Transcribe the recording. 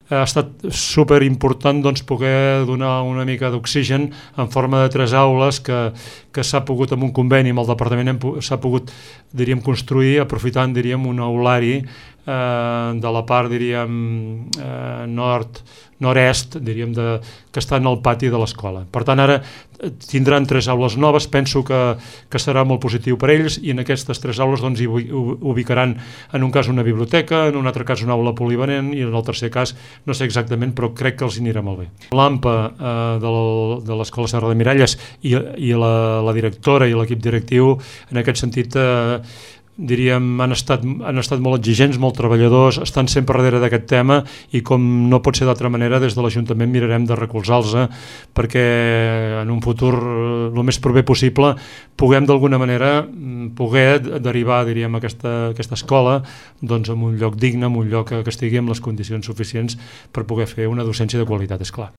ha estat superimportant poder donar una mica d'oxigen en forma de 3 aules que s'ha pogut, amb un conveni amb el departament, s'ha pogut, diríem, construir aprofitant, diríem, un aulari de la part, diríem, nord-est, diríem, que està en el pati de l'escola. Per tant, ara tindran 3 aules noves, penso que serà molt positiu per ells, i en aquestes 3 aules hi ubicaran, en un cas una biblioteca, en un altre cas una aula polivalent, i en el tercer cas no sé exactament, però crec que els anirà molt bé. L'AMPA de l'Escola Serra de Miralles i la directora i l'equip directiu, en aquest sentit, diríem, han estat molt exigents, molt treballadors, estan sempre darrere d'aquest tema, i com no pot ser d'altra manera, des de l'Ajuntament mirarem de recolzar-los perquè en un futur el més proper possible puguem d'alguna manera derivar, diríem, aquesta escola en un lloc digne, en un lloc que estigui amb les condicions suficients per poder fer una docència de qualitat, és clar.